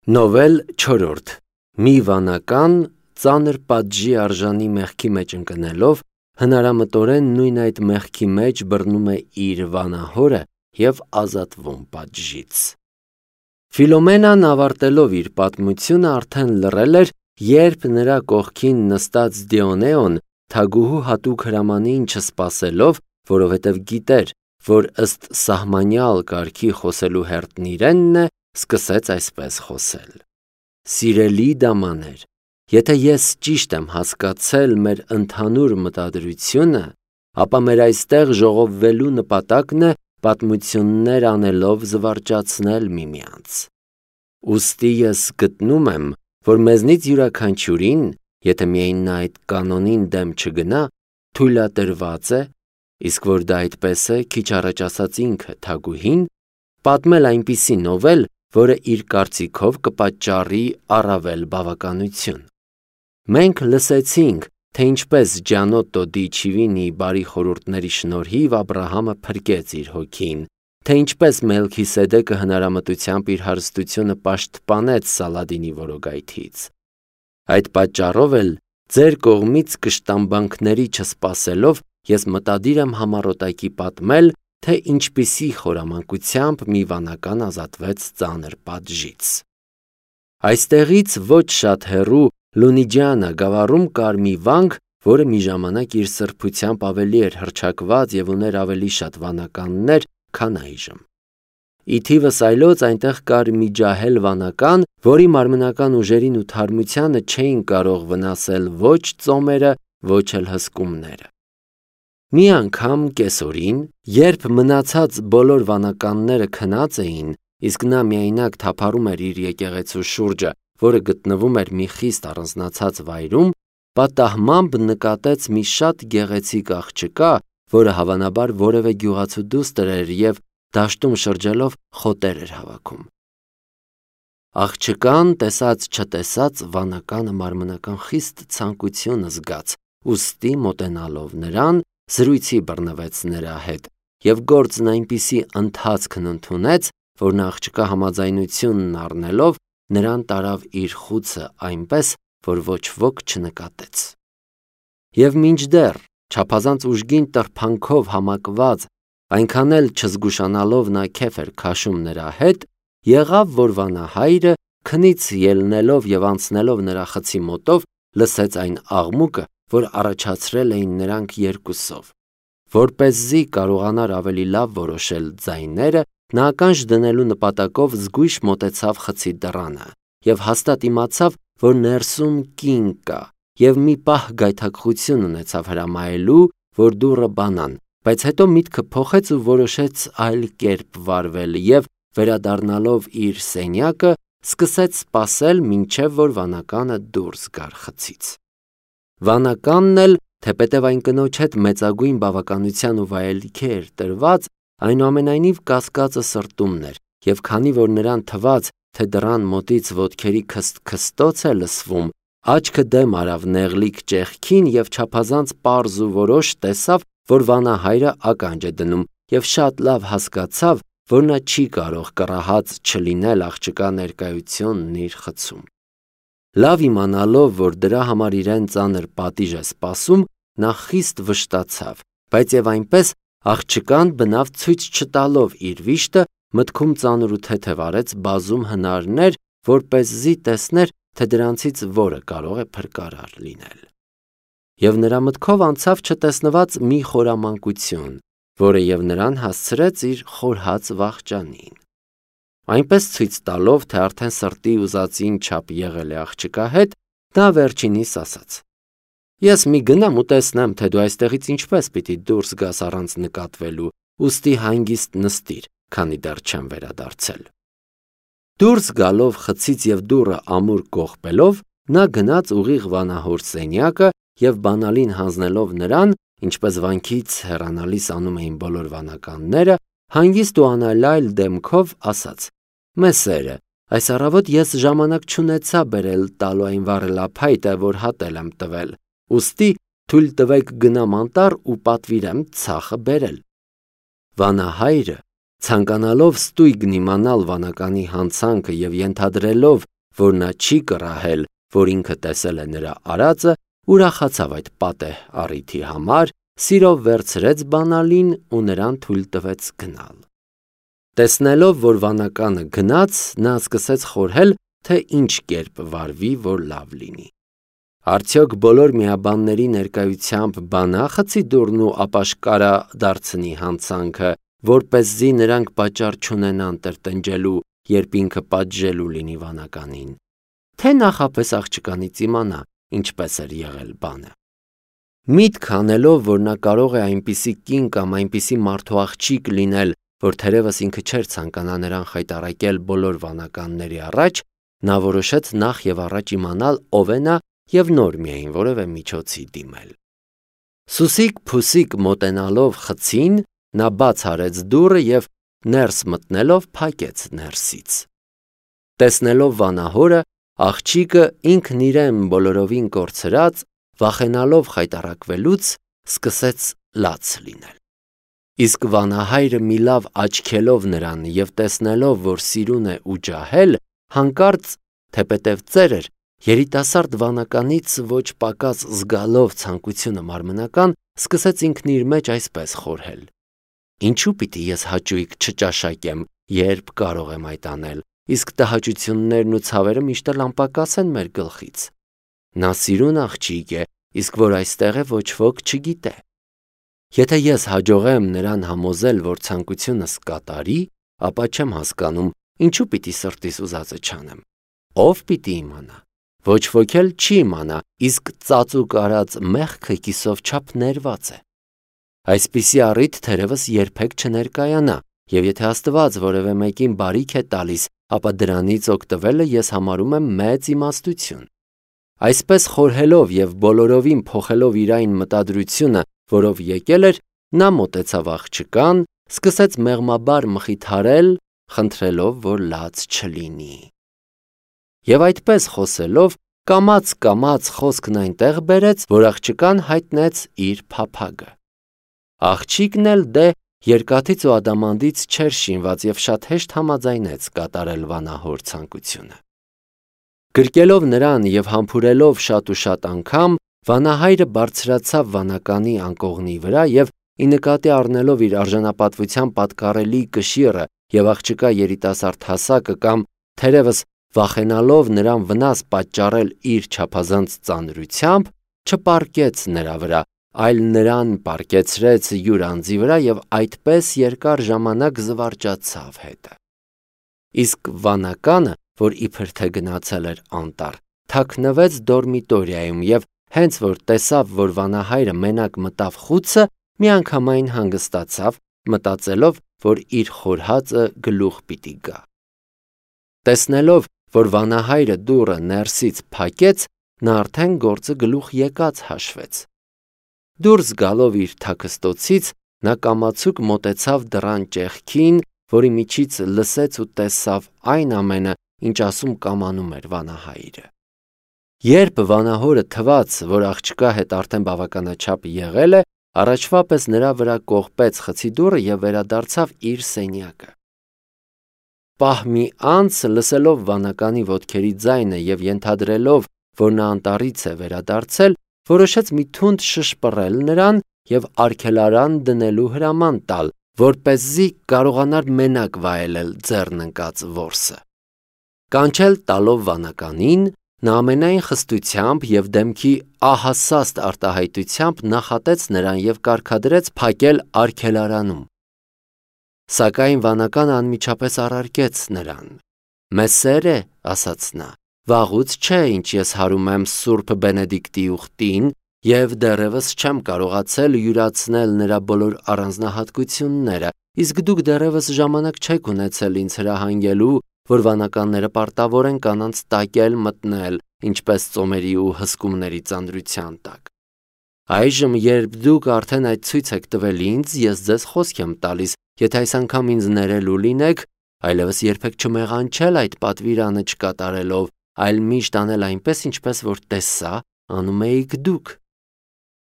Նովել 4. Մի վանական ծանր պատժի արժանի մեղքի մեջ ընկնելով, հնարամտորեն նույն այդ մեղքի մեջ բռնում է իր վանահորը և ազատվում պատժից։ Ֆիլոմենան ավարտելով իր պատմությունը արդեն լռել էր, երբ նրա կողքին նստած Դիոնեոն թագուհու հատուկ հրամանին չսպասելով, որովհետև գիտեր, որ ըստ սահմանյալ կարգի խոսելու հերթն իրենն է, սկսեց այսպես խոսել. «Սիրելի դամաներ, եթե ես ճիշտ եմ հասկացել մեր ընդհանուր մտադրությունը, ապա մեր այստեղ ժողովվելու նպատակն է պատմություններ անելով զվարճացնել միմյանց։ Ուստի ես գտնում եմ, որ մեզնից յուրաքանչյուրին, եթե միայն նա այդ կանոնին դեմ չգնա, թույլատրված է, իսկ որ դա այդպես է, քիչ առաջ ասաց ինքը թագուհին, պատմել այնպիսի նովել, որը իր կարծիքով կպատճառի առավել բավականություն։ Մենք լսեցինք, թե ինչպես Ջանոտո դի Չիվինիի բարի խորհուրդների շնորհիվ Աբրահամը փրկեց իր հոգին, թե ինչպես Մելքիսեդեկը հնարամտությամբ իր հարստությունը պաշտպանեց Սալադինի որոգայթից։ Այդ պատճառով էլ ձեր կողմից կշտամբանքների չսպասելով ես մտադիր եմ համառոտակի պատմել, թե ինչպիսի խորամանկությամբ մի վանական ազատվեց ծանր պատժից։ Այստեղից ոչ շատ հեռու Լունիջիանա գավառում կար մի վանք, որը մի ժամանակ իր սրբությամբ ավելի էր հռչակված և ուներ ավելի շատ վանականներ, քան այժմ։ Ի թիվս այլոց այնտեղ կար մի ջահել վանական, որի մարմնական ուժերին ու թարմությանը չէին կարող վնասել ոչ ծոմերը, ոչ էլ հսկումները։ Մի անգամ կեսօրին, երբ մնացած բոլոր վանականները քնած էին, իսկ նա միայնակ թափառում էր իր եկեղեցու շուրջը, որը գտնվում էր մի խիստ առանձնացած վայրում, պատահմամբ նկատեց մի շատ գեղեցիկ աղջկա, որը հավանաբար որևէ գյուղացու դուստր էր և դաշտում շրջելով խոտեր էր հավաքում։ Աղջկան տեսած-չտեսած վանականը մարմնական խիստ ցանկություն զգաց, ուստի մոտենալով նրան, զրույցի բռնվեց նրա հետ և գործն այնպիսի ընթացքն ընդունեց, որ նա աղջկա համաձայնությունն առնելով նրան տարավ իր խուցը այնպես, որ ոչ ոք չնկատեց։ Եվ մինչդեռ չափազանց ուժգին տրփանքով համակված, այնքան էլ չզգուշանալով նա քեֆ էր քաշում նրա հետ, եղավ, որ վանահայրը քնից ելնելով և անցնելով նրա խցի մոտով, լսեց այն աղմուկը, որ առաջացրել էին նրանք երկուսով։ Որպեսզի կարողանար ավելի լավ որոշել ձայները, նա ականջ դնելու նպատակով զգույշ մոտեցավ խցի դռանը և հաստատ իմացավ, որ ներսում կին կա, և մի պահ գայթակղություն ունեցավ հրամայելու, որ դուռը բանան, բայց հետո միտքը փոխեց ու որոշեց այլ կերպ վարվել և, վերադառնալով իր սենյակը, սկսեց սպասել, մինչև որ վանականը դուրս գար խցից։ Վանականն էլ, թեպետև այն կնոջ հետ մեծագույն բավականության ու վայելքի էր տրված, այնուամենայնիվ կասկածը սրտումն էր, և քանի որ նրան թվաց, թե դռան մոտից ոտքերի քսթ-քստոց է լսվում, աչքը դեմ արավ նեղլիկ ճեղքին և չափազանց պարզ ու որոշ տեսավ, որ վանահայրը ականջ է դնում և շատ լավ հասկացավ, որ նա չի կարող կռահած չլինել աղջկա ներկայությունն իր խցում։ Լավ իմանալով, որ դրա համար իրեն ծանր պատիժ է սպասում, նա խիստ վշտացավ, բայց և այնպես աղջկան բնավ ցույց չտալով իր վիշտը, մտքում ծանր ու թեթև արեց բազում հնարներ, որպեսզի տեսներ, թե դրանցից որը կարող է փրկարար լինել։ Եվ նրա մտքով անցավ չտեսնված մի խորամանկություն, որը և նրան հասցրեց իր խորհած վախճանին։ Այնպես ցույց տալով, թե արդեն սրտի ուզածին չափ եղել է աղջկա հետ, նա վերջինիս ասաց. «Ես մի գնամ ու տեսնեմ, թե դու այստեղից ինչպես պիտի դուրս գաս առանց նկատվելու, ուստի հանգիստ նստիր, քանի դեռ չեմ վերադարձել»։ Դուրս գալով խցից և դուռը ամուր կողպելով, նա գնաց ուղիղ վանահոր սենյակը և բանալին հանձնելով նրան, ինչպես վանքից հեռանալիս անում էին բոլոր վանականները, հանգիստ ու անալայլ դեմքով ասաց. «Մեսերը, այս առավոտ ես ժամանակ չունեցա բերել տալու այն վառելափայտը, որ հատել եմ տվել, ուստի թույլ տվեք գնամ անտառ ու պատվիրեմ ցախը բերել»։ Վանահայրը, ցանկանալով ստույգն իմանալ վանականի հանցանքը և ենթադրելով, որ նա չի կռահել, որ ինքը տեսել է նրա արածը, ուրախացավ այդ պատեհ առիթի համար, սիրով վերցրեց բանալին ու նրան թույլ տվեց գնալ։ Տեսնելով, որ վանականը գնաց, նա սկսեց խորհել, թե ինչ կերպ վարվի, որ լավ լինի։ Արդյոք բոլոր միաբանների ներկայությամբ բանա խցի դուռն ու ապաշկարա դարձնի հանցանքը, որպեսզի նրանք պատճառ չունենան տրտնջելու, երբ ինքը պատժելու լինի վանականին, թե նախապես աղջկանից իմանա, ինչպես էր եղել բանը։ Միտք անելով, որ նա կարող է այնպիսի կին կամ այնպիսի մարդու աղջիկ լինել, որ թերևս ինքը չէր ցանկանա նրան խայտառակել բոլոր վանականների առաջ, նա որոշեց նախ եւ առաջ իմանալ ով է նա եւ նոր միայն որևէ միջոցի դիմել։ Սուսիկ փուսիկ մոտենալով խցին, նա բաց արեց դուռը եւ ներս մտնելով փակեց ներսից։ Տեսնելով վանահորը, աղջիկը ինքն իրեն բոլորովին կորցրած, վախենալով խայտառակվելուց, սկսեց լաց լինել։ Իսկ վանահայրը մի լավ աչքելով նրան եւ տեսնելով, որ սիրուն է ու ջահել, հանկարծ, թեպետև ծեր էր, երիտասարդ վանականից ոչ պակաս զգալով ցանկությունը մարմնական, սկսեց ինքն իր մեջ այսպես խորհել. Ինչու պիտի ես հաճույք չճաշակեմ, երբ կարող եմ այդ անել, իսկ տհաճություններն ու ցավերը միշտ էլ անպակաս են մեր գլխից։ Նա սիրուն աղջիկ է, իսկ որ այստեղ է ոչ ոք չգիտե։ Եթե ես հաջողեմ նրան համոզել, որ ցանկությունս կատարի, ապա չեմ հասկանում, ինչու պիտի սրտիս ուզածը չանեմ։ Ով պիտի իմանա։ Ոչ ոք էլ չի իմանա, իսկ ծածուկ արած մեղքը կիսով չափ ներված է։ Այսպիսի առիթ թերևս երբեք չներկայանա, եւ եթե Աստված որևէ մեկին բարիք է տալիս, ապա դրանից օգտվելը ես համարում եմ մեծ իմաստություն։ Այսպես խորհելով եւ բոլորովին փոխելով իր այն մտադրությունը, որով եկել էր, նա մոտեցավ աղջկան, սկսեց մեղմաբար մխիթարել, խնդրելով, որ լաց չլինի։ Եվ այդպես խոսելով, կամաց խոսքն այնտեղ բերեց, որ աղջկան հայտնեց իր փափագը։ Աղջիկն էլ դե երկաթից ու ադամանդից չէր շինված եւ շատ հեշտ համաձայնեց կատարել վանահոր ցանկությունը։ Գրկելով նրան եւ համբուրելով շատ ու շատ անգամ, վանահայրը բարձրացավ վանականի անկողնի վրա եւ ի նկատի առնելով իր արժանապատվության պատկառելի կշիռը եւ աղջկա երիտասարդ հասակը կամ թերևս վախենալով նրան վնաս պատճառել իր չափազանց ծանրությամբ, չպարկեց նրա վրա, այլ նրան պարկեցրեց յուր անձի վրա եւ այդպես երկար ժամանակ զվարճացավ հետը։ Իսկ վանականը, որ իբր թե գնացել էր անտառ, թաքնվեց դորմիտորիայում եւ հենց որ տեսավ, որ վանահայրը մենակ մտավ խուցը, միանգամայն հանգստացավ, մտածելով, որ իր խորհածը գլուխ պիտի գա։ Տեսնելով, որ վանահայրը դուռը ներսից փակեց, նա արդեն գործը գլուխ եկած հաշվեց։ Դուրս գալով իր թաքստոցից, նա կամացուկ մոտեցավ դռան ճեղքին, որի միջից լսեց ու տեսավ այն ամենը, ինչ ասում կամանում էր վանահայրը։ Երբ վանահորը թվաց, որ աղջկա հետ արդեն բավականաչափ եղել է, առաջվա պես նրա վրա կողպեց խցի դուռը եւ վերադարձավ իր սենյակը։ Պահ մի անց, լսելով վանականի ոտքերի ձայնը եւ ենթադրելով, որ նա անտառից է վերադարձել, որոշեց մի թունդ շշպռել նրան եւ արգելարան դնելու հրաման տալ, որպեսզի կարողանար մենակ վայելել ձեռն ընկած որսը։ Կանչել տալով վանականին, նա ամենայն խստությամբ եւ դեմքի ահասաստ արտահայտությամբ նախատեց նրան եւ կարգադրեց փակել արգելարանում։ Սակայն վանականը անմիջապես առարկեց նրան։ Մեզ սեր է, ասաց նա, վաղուց չէ, ինչ ես հարում եմ Սուրբ Բենեդիկտի ուխտին եւ դեռևս չեմ կարողացել յուրացնել նրա բոլոր առանձնահատկությունները, իսկ դուք դեռևս ժամանակ չեք ունեցել ինձ հրահանգելու, որ վանականները պարտավոր են կանանց տակել մտնել, ինչպես ծոմերի ու հսկումների ծանրության տակ։ Այժմ, երբ դուք արդեն այդ ցույց եք տվել ինձ, ես ձեզ խոսք եմ տալիս, եթե այս անգամ ինձ ներելու լինեք, այլևս երբեք չմեղանչել այդ պատվիրանը չկատարելով, այլ միշտ անել այնպես, ինչպես որ տեսա, անում էիք դուք։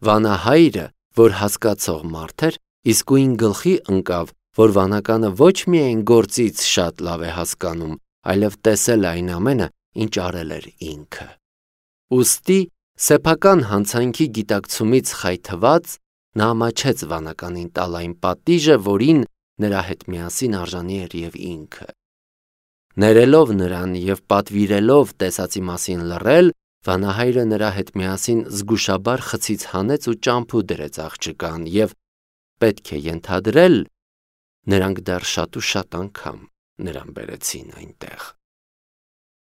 Վանահայրը, որ հասկացող մարդ էր, իսկույն գլխի ընկավ, որ վանականը ոչ միայն գործից շատ լավ է հասկանում, այլև տեսել այն ամենը, ինչ արել էր ինքը։ Ուստի սեփական հանցանքի գիտակցումից խայթված նա ամաչեց վանականին տալ այն պատիժը, որին նրա հետ միասին արժանի էր և ինքը։ Ներելով նրան և պատվիրելով տեսածի մասին լռել, վանահայրը նրա հետ միասին զգուշաբար խցից հանեց ու ճամփու դրեց աղջկան և պետք է ենթադրել, նրանք դեռ շատ ու շատ անգամ նրան բերեցին այնտեղ։